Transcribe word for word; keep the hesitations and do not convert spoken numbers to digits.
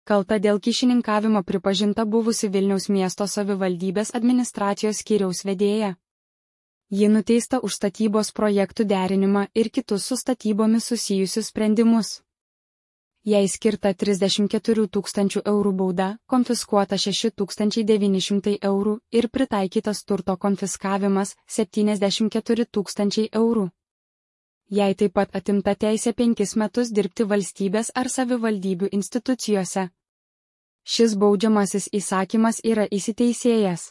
Kalta dėl kyšininkavimo pripažinta buvusi Vilniaus miesto savivaldybės administracijos skyriaus vedėja. Ji nuteista už statybos projektų derinimą ir kitus su statybomis susijusius sprendimus. Jai skirta trisdešimt keturių tūkstančių eurų bauda, konfiskuota šeši tūkstančiai devyni šimtai eurų ir pritaikytas turto konfiskavimas septyniasdešimt keturi tūkstančiai eurų. Jai taip pat atimta teisė penkis metus dirbti valstybės ar savivaldybių institucijose. Šis baudžiamasis įsakymas yra įsiteisėjęs.